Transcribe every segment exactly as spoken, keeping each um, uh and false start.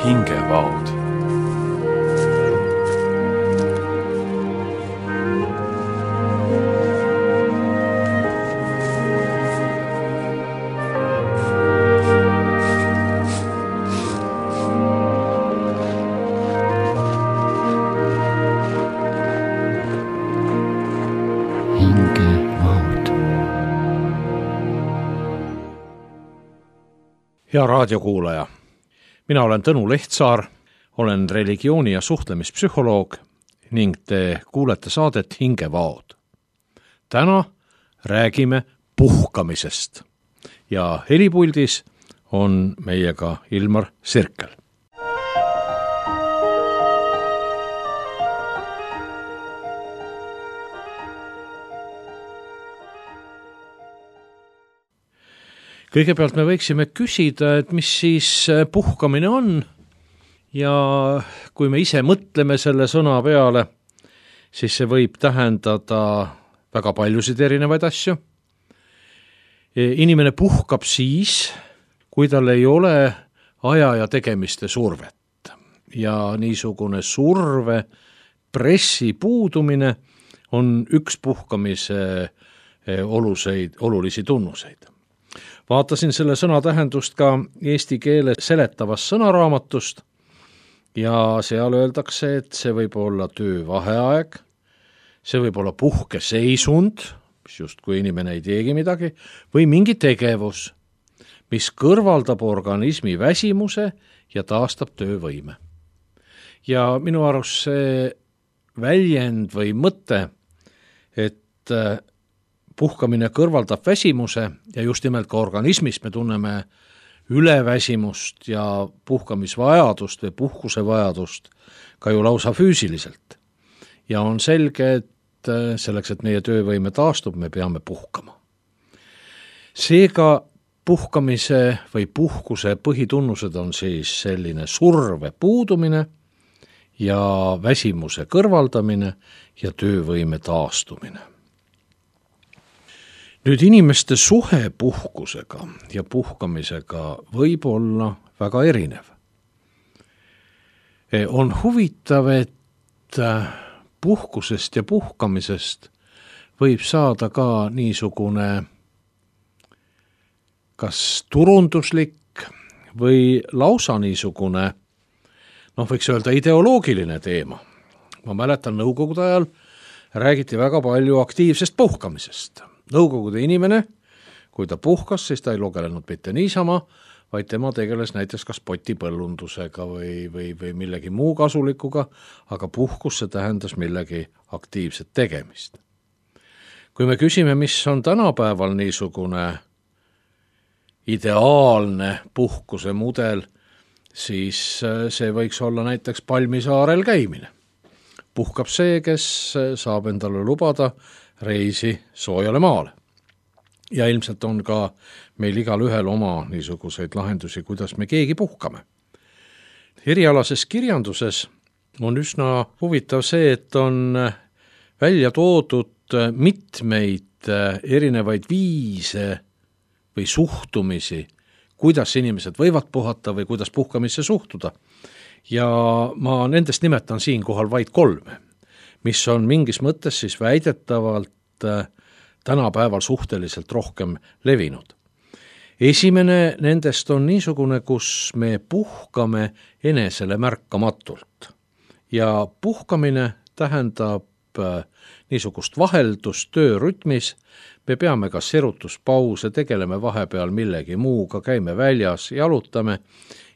hingevaod. Hea raadiokuulaja, mina olen Tõnu Lehtsaar, olen religiooni- ja suhtlemispsühholoog ning te kuulete saadet Hingevaod. Täna räägime puhkamisest ja helipuldis on meiega Ilmar Sirkel. Kõigepealt me võiksime küsida, et mis siis puhkamine on ja kui me ise mõtleme selle sõna peale, siis see võib tähendada väga paljusid erinevaid asju. Inimene puhkab siis, kui tal ei ole aja ja tegemiste survet ja niisugune surve pressi puudumine on üks puhkamise oluseid, olulisi tunnuseid. Vaatasin selle sõna tähendust ka eesti keele seletavast sõnaraamatust ja seal öeldakse, et see võib olla töövaheaeg, see võib olla puhkeseisund, mis just kui inimene ei teegi midagi, või mingi tegevus, mis kõrvaldab organismi väsimuse ja taastab töövõime. Ja minu arust see väljend või mõte, et puhkamine kõrvaldab väsimuse ja just nimelt ka organismis me tunneme üleväsimust ja puhkamisvajadust või puhkusevajadust ka ju lausa füüsiliselt. Ja on selge, et selleks, et meie töövõime taastub, me peame puhkama. Seega puhkamise või puhkuse põhitunnused on siis selline surve puudumine ja väsimuse kõrvaldamine ja töövõime taastumine. Nüüd inimeste suhe puhkusega ja puhkamisega võib olla väga erinev. On huvitav, et puhkusest ja puhkamisest võib saada ka niisugune kas turunduslik või lausa niisugune, noh võiks öelda ideoloogiline teema. Ma mäletan, nõukogude ajal räägiti väga palju aktiivsest puhkamisest. Nõukogude inimene, kui ta puhkas, siis ta ei lugelenud mitte niisama, vaid tema tegeles näiteks kas potipõllundusega või, või, või millegi muu kasulikuga, aga puhkus see tähendas millegi aktiivset tegemist. Kui me küsime, mis on tänapäeval niisugune ideaalne puhkuse mudel, siis see võiks olla näiteks Palmisaarel käimine. Puhkab see, kes saab endale lubada reisi soojale maale. Ja ilmselt on ka meil igal ühel oma niisuguseid lahendusi, kuidas me keegi puhkame. Erialases kirjanduses on üsna huvitav see, et on välja toodud mitmeid erinevaid viise või suhtumisi, kuidas inimesed võivad puhata või kuidas puhkamisse suhtuda. Ja ma nendest nimetan siinkohal vaid kolme, mis on mingis mõttes siis väidetavalt tänapäeval suhteliselt rohkem levinud. Esimene nendest on niisugune, kus me puhkame enesele märkamatult. Ja puhkamine tähendab niisugust vaheldust töörütmis, me peame kas erutuspause, tegeleme vahepeal millegi muuga, käime väljas, jalutame,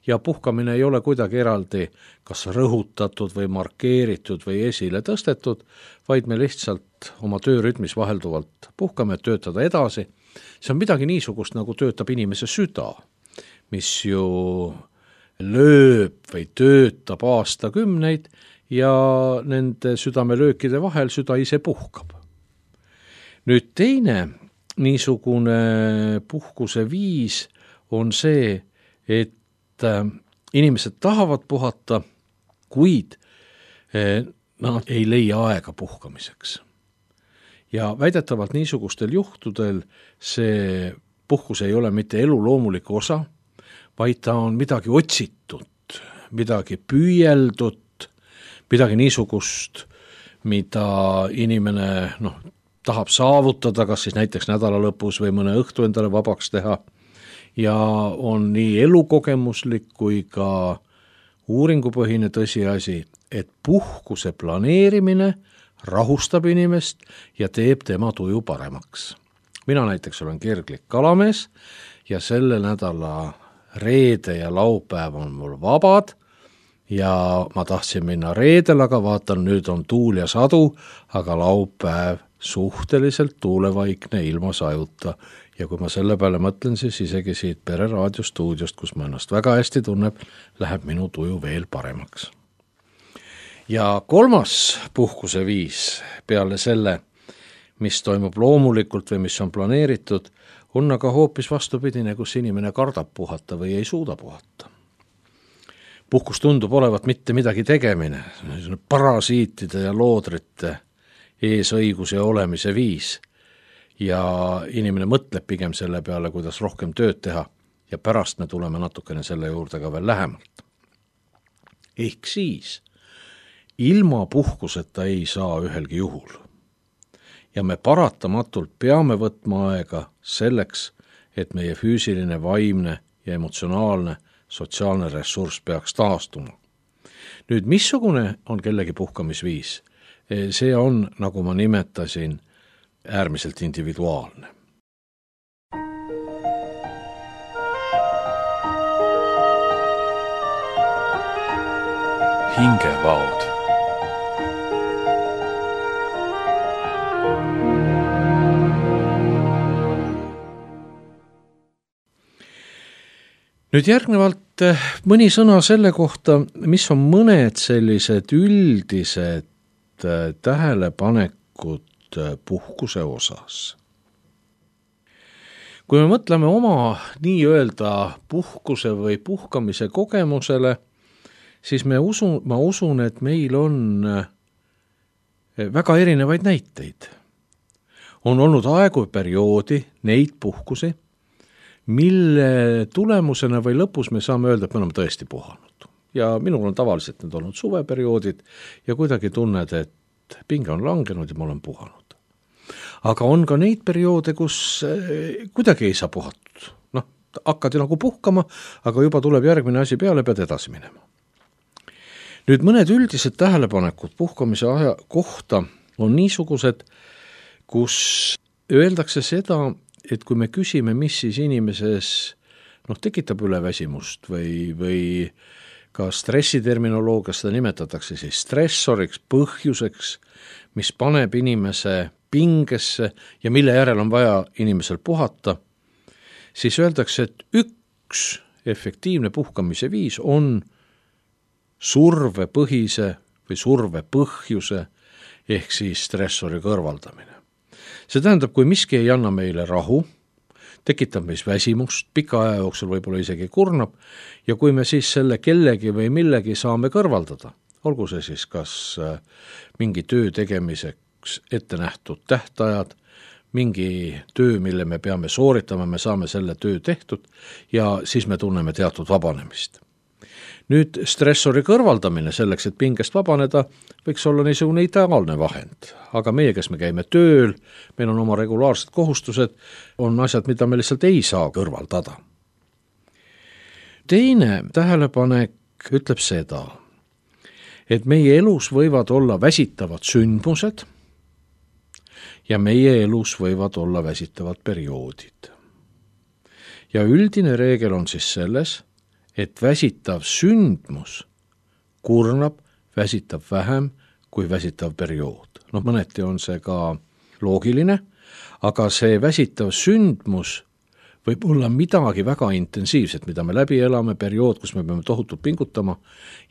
ja puhkamine ei ole kuidagi eraldi kas rõhutatud või markeeritud või esile tõstetud, vaid me lihtsalt oma töörütmis vahelduvalt puhkame, töötada edasi. See on midagi niisugust, nagu töötab inimese süda, mis ju lööb või töötab aastakümneid ja nende südamelöökide vahel süda ise puhkab. Nüüd teine niisugune puhkuse viis on see, et inimesed tahavad puhata, kuid nad ei leia aega puhkamiseks. Ja väidetavalt niisugustel juhtudel see puhkus ei ole mitte elu loomulik osa, vaid ta on midagi otsitud, midagi püüeldut, midagi niisugust, mida inimene noh, tahab saavutada, kas siis näiteks nädala lõpus või mõne õhtu endale vabaks teha, ja on nii elukogemuslik kui ka uuringupõhine tõsiasi, et puhkuse planeerimine rahustab inimest ja teeb tema tuju paremaks. Mina näiteks olen kirglik kalamees ja selle nädala reede ja laupäev on mul vabad ja ma tahtsin minna reedel, aga vaatan, nüüd on tuul ja sadu, aga laupäev suhteliselt tuulevaikne ilma sajuta. Ja kui ma selle peale mõtlen, siis isegi siit Pere raadiostuudiost, kus ma ennast väga hästi tunneb, läheb minu tuju veel paremaks. Ja kolmas puhkuse viis peale selle, mis toimub loomulikult või mis on planeeritud, on aga hoopis vastupidine, kus inimene kardab puhata või ei suuda puhata. Puhkus tundub olevat mitte midagi tegemine, parasiitide ja loodrite eesõiguse olemise viis. Ja inimene mõtleb pigem selle peale, kuidas rohkem tööd teha ja pärast me tuleme natukene selle juurde ka veel lähemalt. Ehk siis, ilma puhkuseta ei saa ühelgi juhul. Ja me paratamatult peame võtma aega selleks, et meie füüsiline, vaimne ja emotsionaalne sotsiaalne ressurss peaks taastuma. Nüüd, missugune on kellegi puhkamisviis? See on, nagu ma nimetasin, äärmiselt individuaalne. Hingevaod. Nüüd järgnevalt mõni sõna selle kohta, mis on mõned sellised üldised tähelepanekud puhkuse osas. Kui me mõtleme oma nii-öelda puhkuse või puhkamise kogemusele, siis me usun, ma usun, et meil on väga erinevaid näiteid. On olnud aegu perioodi neid puhkusi, mille tulemusena või lõpus me saame öelda, et me oleme tõesti puhanud. Ja minul on tavaliselt need olnud suveperioodid ja kuidagi tunned, et pinge on langenud ja ma olen puhanud. Aga on ka neid perioode, kus kuidagi ei saa puhatud. Noh, hakkad ju nagu puhkama, aga juba tuleb järgmine asi peale, pead edasi minema. Nüüd mõned üldised tähelepanekud puhkamise aja kohta on niisugused, kus öeldakse seda, et kui me küsime, mis siis inimeses noh, tekitab üleväsimust või, või ka stressiterminoloogias seda nimetatakse siis stressoriks, põhjuseks, mis paneb inimese pingesse ja mille järel on vaja inimesel puhata, siis öeldakse, et üks efektiivne puhkamise viis on survepõhise või survepõhjuse ehk siis stressori kõrvaldamine. See tähendab, kui miski ei anna meile rahu, tekitab meis väsimust, pika aja jooksul võib-olla isegi kurnab, ja kui me siis selle kellegi või millegi saame kõrvaldada, olgu see siis kas mingi töö tegemiseks ette nähtud tähtajad, mingi töö, mille me peame sooritama, me saame selle töö tehtud ja siis me tunneme teatud vabanemist. Nüüd stressori kõrvaldamine selleks, et pingest vabaneda, võiks olla niisugune ideaalne vahend. Aga meie, kes me käime tööl, meil on oma regulaarsed kohustused, on asjad, mida me lihtsalt ei saa kõrvaldada. Teine tähelepanek ütleb seda, et meie elus võivad olla väsitavad sündmused ja meie elus võivad olla väsitavad perioodid. Ja üldine reegel on siis selles, et väsitav sündmus kurnab, väsitab vähem kui väsitav periood. Noh, mõneti on see ka loogiline, aga see väsitav sündmus võib olla midagi väga intensiivset, mida me läbi elame, periood, kus me peame tohutult pingutama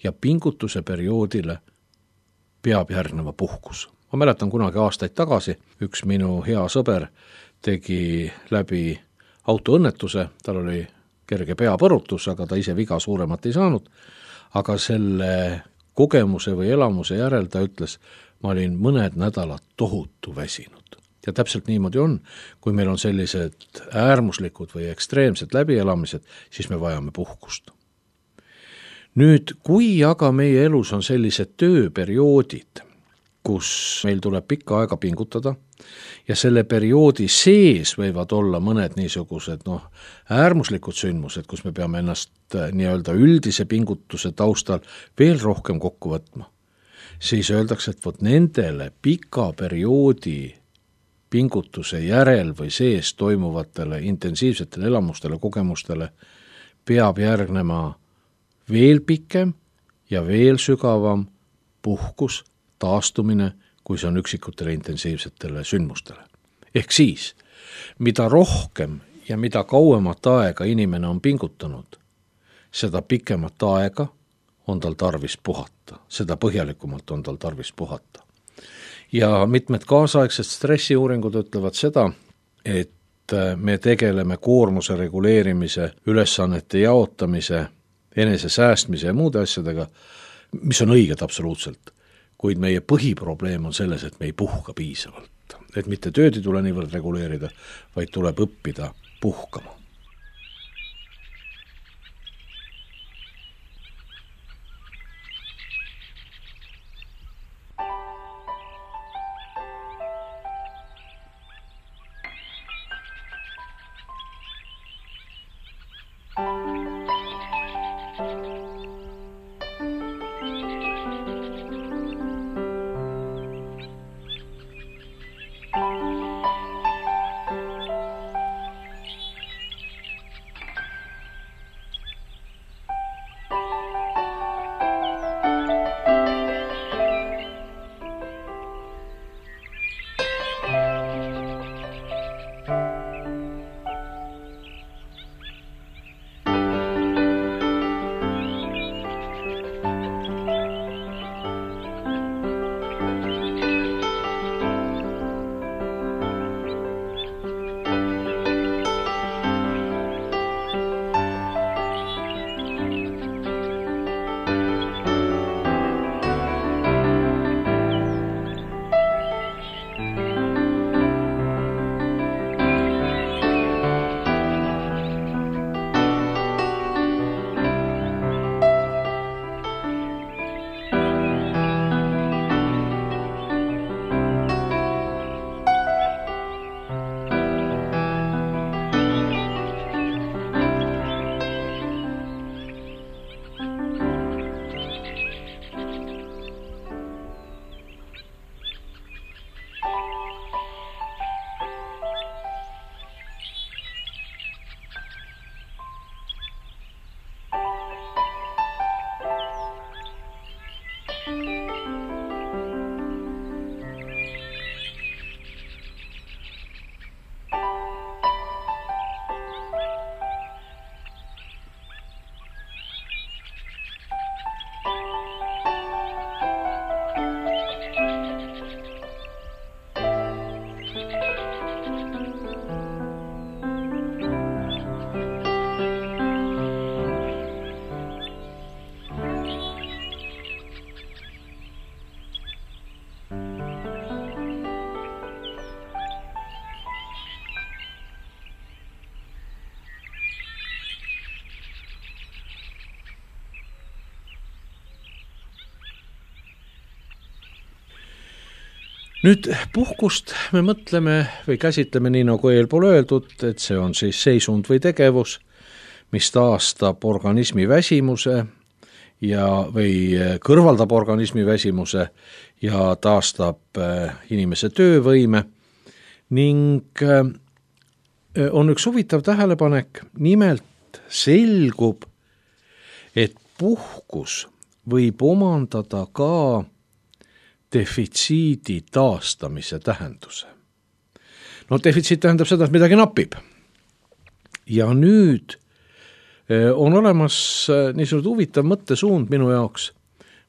ja pingutuse perioodile peab järgneva puhkus. Ma mäletan kunagi aastaid tagasi, üks minu hea sõber tegi läbi autoõnnetuse, tal oli kerge peapõrutus, aga ta ise viga suuremat ei saanud, aga selle kogemuse või elamuse järel ta ütles, ma olin mõned nädalad tohutu väsinud. Ja täpselt niimoodi on, kui meil on sellised äärmuslikud või ekstreemsed läbielamised, siis me vajame puhkust. Nüüd, kui aga meie elus on sellised tööperioodid, kus meil tuleb pikka aega pingutada ja selle perioodi sees võivad olla mõned niisugused noh, äärmuslikud sündmused, kus me peame ennast nii-öelda üldise pingutuse taustal veel rohkem kokku võtma, siis öeldakse, et vot nendele pika perioodi pingutuse järel või sees toimuvatele intensiivsetele elamustele, kogemustele peab järgnema veel pikem ja veel sügavam puhkus, taastumine, kui see on üksikutele intensiivsetele sündmustele. Ehk siis, mida rohkem ja mida kauemat aega inimene on pingutanud, seda pikemat aega on tal tarvis puhata, seda põhjalikumalt on tal tarvis puhata. Ja mitmed kaasaegsed stressiuuringud ütlevad seda, et me tegeleme koormuse reguleerimise, ülesannete jaotamise, enese säästmise ja muude asjadega, mis on õiged absoluutselt, kuid meie põhiprobleem on selles, et me ei puhka piisavalt. Et mitte tööd ei tule niivõrd reguleerida, vaid tuleb õppida puhkama. Nüüd puhkust me mõtleme või käsitleme nii nagu eelpool öeldud, et see on siis seisund või tegevus, mis taastab organismi väsimuse ja, või kõrvaldab organismi väsimuse ja taastab inimese töövõime ning on üks huvitav tähelepanek, nimelt selgub, et puhkus võib omandada ka defitsiidi taastamise tähenduse. No defitsiit tähendab seda, et midagi napib. Ja nüüd on olemas niisugune huvitav mõttesuund minu jaoks,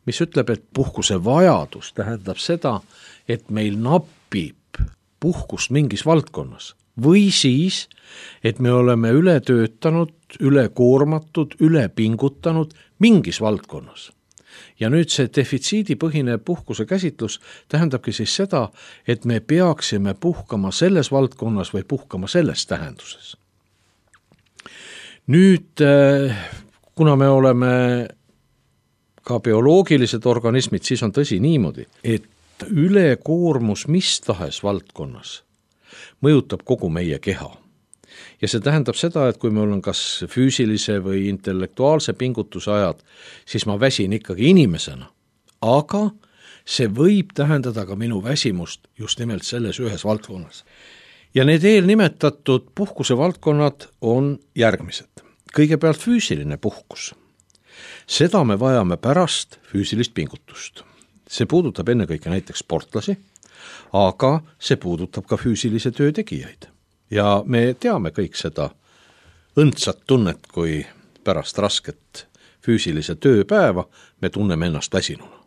mis ütleb, et puhkuse vajadus tähendab seda, et meil napib puhkust mingis valdkonnas. Või siis, et me oleme üle töötanud, üle koormatud, üle pingutanud mingis valdkonnas. Ja nüüd see defitsiidipõhine puhkuse käsitlus tähendabki siis seda, et me peaksime puhkama selles valdkonnas või puhkama selles tähenduses. Nüüd, kuna me oleme ka bioloogilised organismid, siis on tõsi niimoodi, et ülekoormus mis tahes valdkonnas mõjutab kogu meie keha. Ja see tähendab seda, et kui mul on kas füüsilise või intellektuaalse pingutuse ajad, siis ma väsin ikkagi inimesena. Aga see võib tähendada ka minu väsimust just nimelt selles ühes valdkonnas. Ja need eelnimetatud puhkuse valdkonnad on järgmised. Kõigepealt füüsiline puhkus. Seda me vajame pärast füüsilist pingutust. See puudutab ennekõike näiteks sportlasi, aga see puudutab ka füüsilise töö tegijaid. Ja me teame kõik seda õndsat tunnet, kui pärast rasket füüsilise tööpäeva me tunneme ennast väsinuna.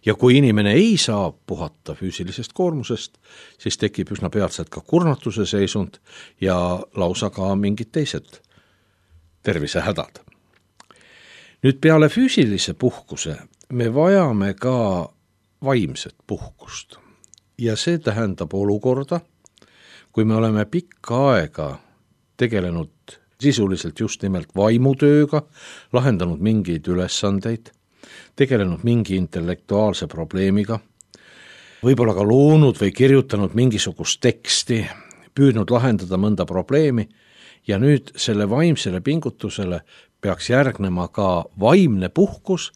Ja kui inimene ei saa puhata füüsilisest koormusest, siis tekib üsna peatselt ka kurnatuse seisund ja lausa ka mingid teised tervisehädad. Nüüd peale füüsilise puhkuse me vajame ka vaimset puhkust. Ja see tähendab olukorda, kui me oleme pikka aega tegelenud sisuliselt just nimelt vaimutööga, lahendanud mingeid ülesandeid, tegelenud mingi intellektuaalse probleemiga, võib-olla ka loonud või kirjutanud mingisugust teksti, püüdnud lahendada mõnda probleemi ja nüüd selle vaimsele pingutusele peaks järgnema ka vaimne puhkus,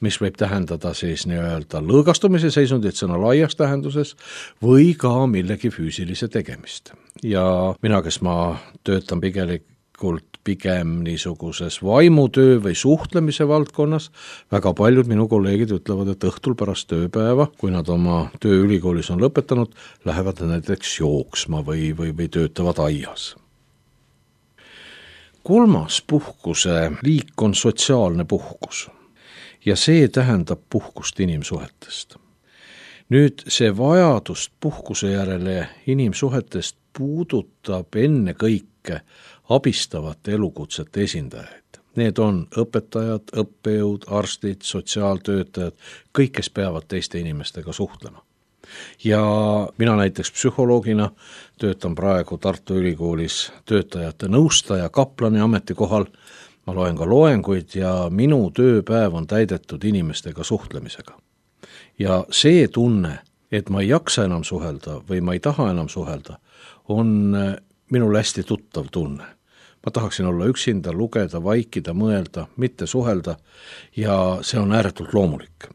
mis võib tähendada siis nii-öelda lõõgastumise seisundit sõna laias tähenduses või ka millegi füüsilise tegemist. Ja mina, kes ma töötan pigelikult pigem niisuguses vaimutöö või suhtlemise valdkonnas, väga paljud minu kolleegid ütlevad, et õhtul pärast tööpäeva, kui nad oma töö ülikoolis on lõpetanud, lähevad näiteks jooksma või, või, või töötavad aias. Kolmas puhkuse liik on sotsiaalne puhkus ja see tähendab puhkust inimsuhetest. Nüüd see vajadust puhkuse järele inimsuhetest puudutab enne kõike abistavate elukutsete esindajaid. Need on õpetajad, õppejõud, arstid, sotsiaaltöötajad, kõik, kes peavad teiste inimestega suhtlema. Ja mina näiteks psühholoogina töötan praegu Tartu Ülikoolis töötajate nõustaja kaplani ametikohal. Ma loen ka loenguid ja minu tööpäev on täidetud inimestega suhtlemisega. Ja see tunne, et ma ei jaksa enam suhelda või ma ei taha enam suhelda, on minul hästi tuttav tunne. Ma tahaksin olla üksinda, lugeda, vaikida, mõelda, mitte suhelda ja see on ääretult loomulik.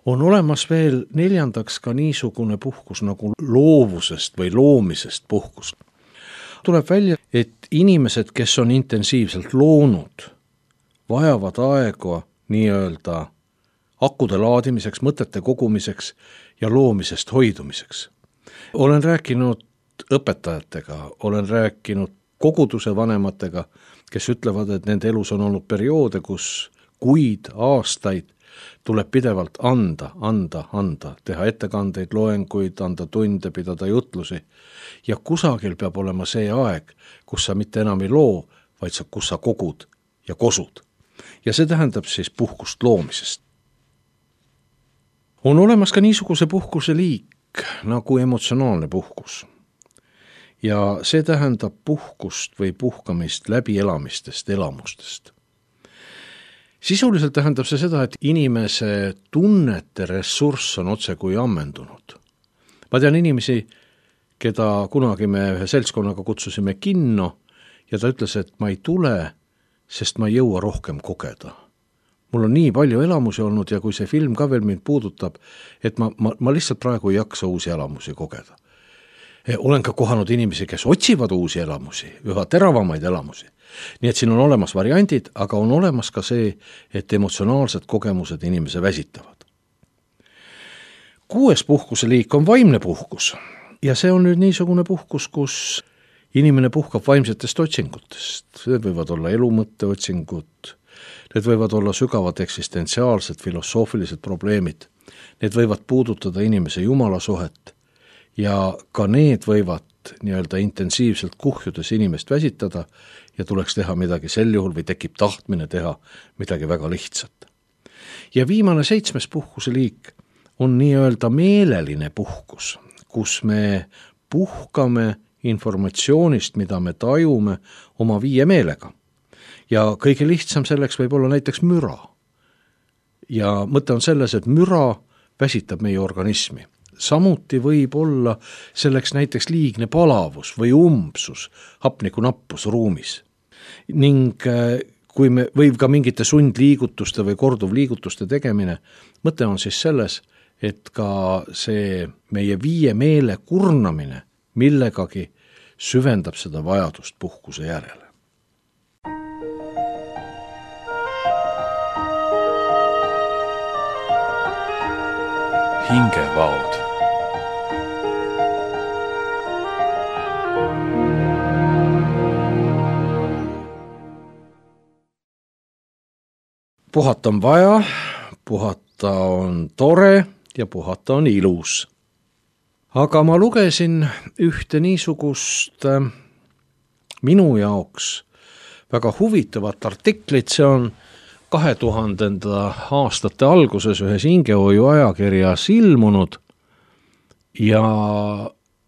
On olemas veel neljandaks ka niisugune puhkus nagu loovusest või loomisest puhkus. Tuleb välja, et inimesed, kes on intensiivselt loonud, vajavad aega nii-öelda akude laadimiseks, mõtete kogumiseks ja loomisest hoidumiseks. Olen rääkinud õpetajatega, olen rääkinud koguduse vanematega, kes ütlevad, et nende elus on olnud perioode, kus kuid, aastaid tuleb pidevalt anda, anda, anda, teha ettekandeid, loenguid, anda tunde, pidada jutlusi. Ja kusagil peab olema see aeg, kus sa mitte enam ei loo, vaid sa, kus sa kogud ja kosud. Ja see tähendab siis puhkust loomisest. On olemas ka niisuguse puhkuse liik nagu emotsionaalne puhkus. Ja see tähendab puhkust või puhkamist läbielamistest, elamustest. Sisuliselt tähendab see seda, et inimese tunnete ressurss on otse kui ammendunud. Ma tean inimesi, keda kunagi me ühe seltskonnaga kutsusime kinno ja ta ütles, et ma ei tule, sest ma ei jõua rohkem kogeda. Mul on nii palju elamusi olnud ja kui see film ka veel mind puudutab, et ma, ma, ma lihtsalt praegu ei jaksa uusi elamusi kogeda. Olen ka kohanud inimesi, kes otsivad uusi elamusi, üha teravamaid elamusi. Nii et siin on olemas variandid, aga on olemas ka see, et emotsionaalsed kogemused inimese väsitavad. Kuues puhkuse liik on vaimne puhkus ja see on nüüd niisugune puhkus, kus inimene puhkab vaimsetest otsingutest. Need võivad olla elumõtte otsingud, need võivad olla sügavad eksistentsiaalsed, filosoofilised probleemid, need võivad puudutada inimese jumalasuhet ja ka need võivad nii-öelda intensiivselt kuhjudes inimest väsitada ja tuleks teha midagi sel juhul või tekib tahtmine teha midagi väga lihtsat. Ja viimane seitsmes puhkuse liik on nii-öelda meeleline puhkus, kus me puhkame informatsioonist, mida me tajume oma viie meelega. Ja kõige lihtsam selleks võib olla näiteks müra. ja mõte on selles, et müra väsitab meie organismi. Samuti võib olla selleks näiteks liigne palavus või umbsus, hapnikunappus ruumis. Ning kui me, võib ka mingite sundliigutuste või korduvliigutuste tegemine, mõte on siis selles, et ka see meie viie meele kurnamine millegagi süvendab seda vajadust puhkuse järele. Hingevaod. Puhata on vaja, puhata on tore ja puhata on ilus. Aga ma lugesin ühte niisugust minu jaoks väga huvitavat artiklit, see on kahe tuhandenda aastate alguses ühes hingehoiu ajakirjas ilmunud ja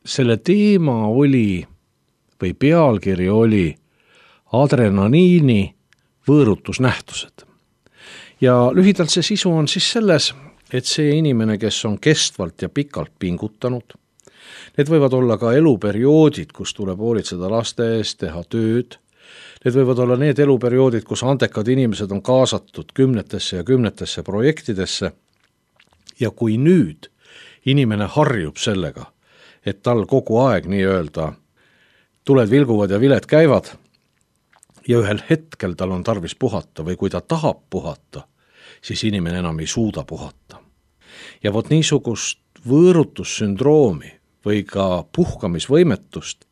selle teema oli või pealkiri oli adrenaliini võõrutusnähtused. Ja lühidalt see sisu on siis selles, et see inimene, kes on kestvalt ja pikalt pingutanud, need võivad olla ka eluperioodid, kus tuleb hoolitseda laste eest, teha tööd. Need võivad olla need eluperioodid, kus andekad inimesed on kaasatud kümnetesse ja kümnetesse projektidesse. Ja kui nüüd inimene harjub sellega, et tal kogu aeg nii-öelda tuled vilguvad ja viled käivad ja ühel hetkel tal on tarvis puhata või kui ta tahab puhata, siis inimene enam ei suuda puhata. Ja vot niisugust võõrutussündroomi või ka puhkamisvõimetust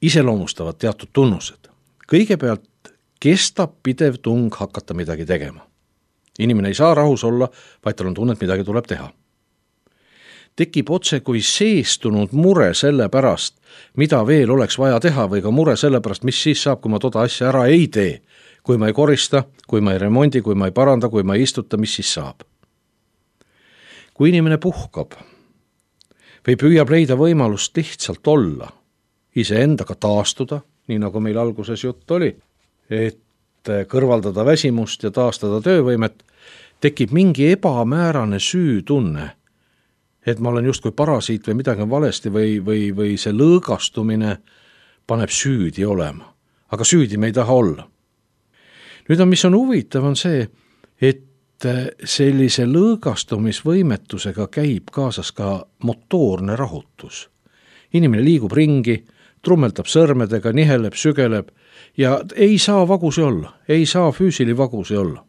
iseloomustavad teatud tunnused. Kõigepealt kestab pidev tung hakata midagi tegema. Inimene ei saa rahus olla, vaid tal on tunne, et midagi tuleb teha. Tekib otse kui seestunud mure selle pärast, mida veel oleks vaja teha või ka mure selle pärast, mis siis saab, kui ma toda asja ära ei tee. Kui ma ei korista, kui ma ei remondi, kui ma ei paranda, kui ma ei istuta, mis siis saab. Kui inimene puhkab või püüab leida võimalust lihtsalt olla, iseendaga taastuda, nii nagu meil alguses jutt oli, et kõrvaldada väsimust ja taastada töövõimet, tekib mingi ebamäärane süütunne, et ma olen justkui parasiit või midagi on valesti või, või, või see lõõgastumine paneb süüdi olema. Aga süüdi me ei taha olla. Nüüd on, mis on huvitav, on see, et sellise lõõgastumisvõimetusega käib kaasas ka motoorne rahutus. Inimene liigub ringi, trummeldab sõrmedega, niheleb, sügeleb ja ei saa vagusi olla, ei saa füüsili vagusi olla.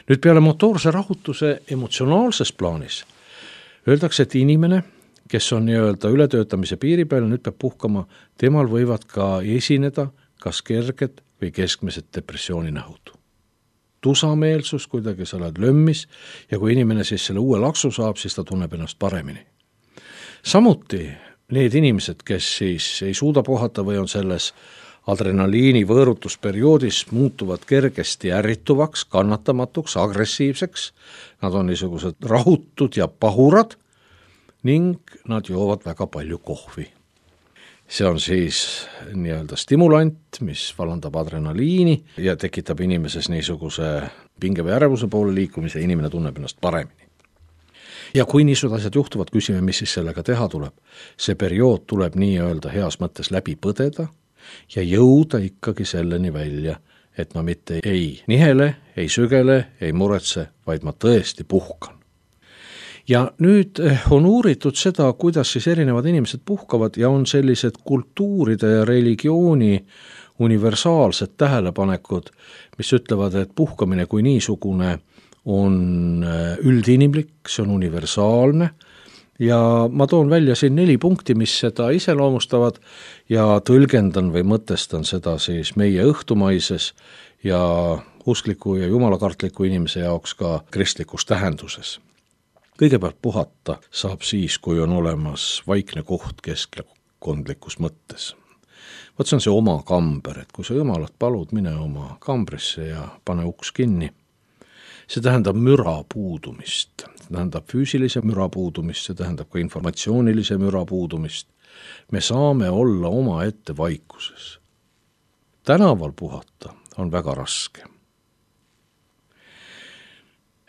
Nüüd peale motoorse rahutuse emotsionaalses plaanis öeldakse, et inimene, kes on nii-öelda ületöötamise piiri peal, nüüd peab puhkama, temal võivad ka esineda kas kerged või keskmised depressiooni nähud. Tusameelsus, kuidagi sa oled lömmis ja kui inimene siis selle uue laksu saab, siis ta tunneb ennast paremini. Samuti need inimesed, kes siis ei suuda puhata või on selles adrenaliini võõrutusperioodis, muutuvad kergesti ärrituvaks, kannatamatuks, agressiivseks, nad on niisugused rahutud ja pahurad ning nad joovad väga palju kohvi. See on siis nii-öelda stimulant, mis vallandab adrenaliini ja tekitab inimeses niisuguse pinge või ärevuse poole liikumise, inimene tunneb ennast paremini. Ja kui niisugused asjad juhtuvad, küsime, mis siis sellega teha tuleb. See periood tuleb nii-öelda heas mõttes läbi põdeda ja jõuda ikkagi selleni välja, et ma mitte ei nihele, ei sügele, ei muretse, vaid ma tõesti puhkan. Ja nüüd on uuritud seda, kuidas siis erinevad inimesed puhkavad ja on sellised kultuuride ja religiooni universaalsed tähelepanekud, mis ütlevad, et puhkamine kui niisugune on üldinimlik, see on universaalne ja ma toon välja siin neli punkti, mis seda iseloomustavad ja tõlgendan või mõtestan seda siis meie õhtumaises ja uskliku ja jumalakartliku inimese jaoks ka kristlikus tähenduses. Kõigepealt puhata saab siis, kui on olemas vaikne koht keskkondlikus mõttes. Võt see on see oma kamber, et kui sa jumalat palud, mine oma kambrisse ja pane uks kinni. See tähendab müra puudumist, see tähendab füüsilise müra puudumist, see tähendab ka informatsioonilise müra puudumist. Me saame olla oma ette vaikuses. Tänaval puhata on väga raske.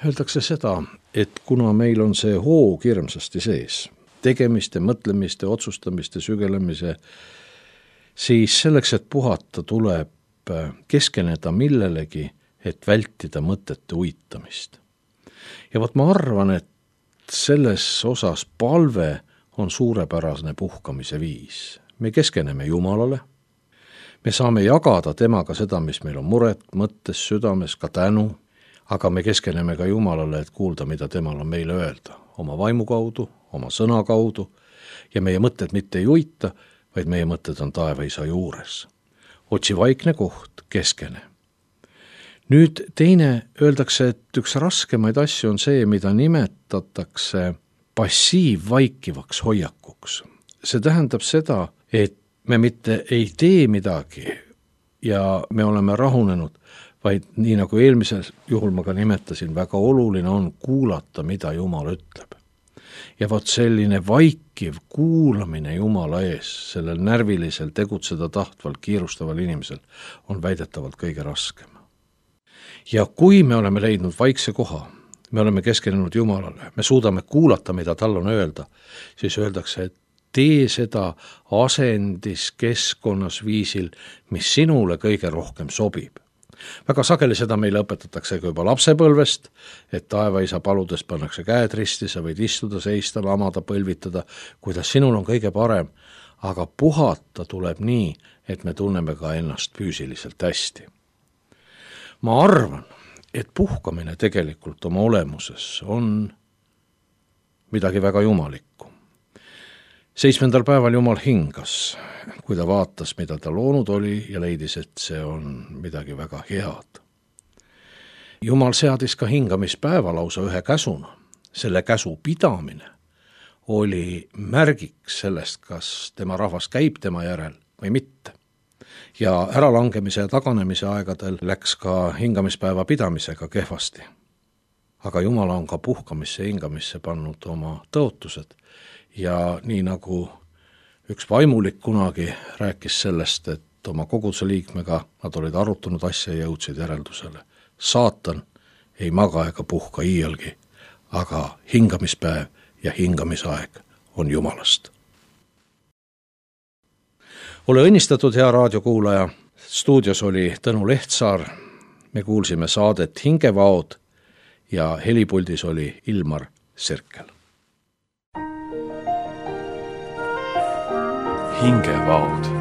Öeldakse seda, et kuna meil on see hoog hirmsasti sees, tegemiste, mõtlemiste, otsustamiste, sügelemise, siis selleks, et puhata, tuleb keskeneda millelegi, et vältida mõtete uitamist. Ja vot ma arvan, et selles osas palve on suurepärasne puhkamise viis. Me keskeneme Jumalale, me saame jagada temaga seda, mis meil on muret, mõttes, südames, ka tänu, aga me keskeneme ka Jumalale, et kuulda, mida temal on meile öelda, oma vaimu kaudu, oma sõna kaudu, ja meie mõtted mitte ei uita, vaid meie mõtted on taevaisa juures. Otsi vaikne koht, keskene. Nüüd teine, öeldakse, et üks raskemaid asju on see, mida nimetatakse passiivvaikivaks hoiakuks. See tähendab seda, et me mitte ei tee midagi ja me oleme rahunenud, vaid nii nagu eelmisel juhul ma ka nimetasin, väga oluline on kuulata, mida Jumal ütleb. Ja vot selline vaikiv kuulamine Jumala ees, sellel närvilisel, tegutseda tahtval, kiirustaval inimesel on väidetavalt kõige raskem. Ja kui me oleme leidnud vaikse koha, me oleme keskenenud Jumalale, me suudame kuulata, mida tal on öelda, siis öeldakse, et tee seda asendis keskkonnas viisil, mis sinule kõige rohkem sobib. Väga sageli seda meile õpetatakse juba lapsepõlvest, et taevaisa paludes pannakse käed risti, sa võid istuda, seista, lamada, põlvitada, kuidas sinul on kõige parem, aga puhata tuleb nii, et me tunneme ka ennast füüsiliselt hästi. Ma arvan, et puhkamine tegelikult oma olemuses on midagi väga jumalikku. Seitsmendal päeval Jumal hingas, kui ta vaatas, mida ta loonud oli ja leidis, et see on midagi väga head. Jumal seadis ka hingamispäeva lausa ühe käsuna. Selle käsu pidamine oli märgiks sellest, kas tema rahvas käib tema järel või mitte. Ja äralangemise ja taganemise aegadel läks ka hingamispäeva pidamisega kehvasti. Aga Jumal on ka puhkamisse ja hingamisse pannud oma tõotused. Ja nii nagu üks vaimulik kunagi rääkis sellest, et oma koguduse liikmega nad olid arutanud asja ja jõudsid järeldusele. Saatan ei maga ega puhka iialgi, aga hingamispäev ja hingamisaeg on Jumalast. Ole õnnistatud, hea raadiokuulaja. Stuudios oli Tõnu Lehtsaar. Me kuulsime saadet Hingevaod ja helipuldis oli Ilmar Sirkel. Hingevaod.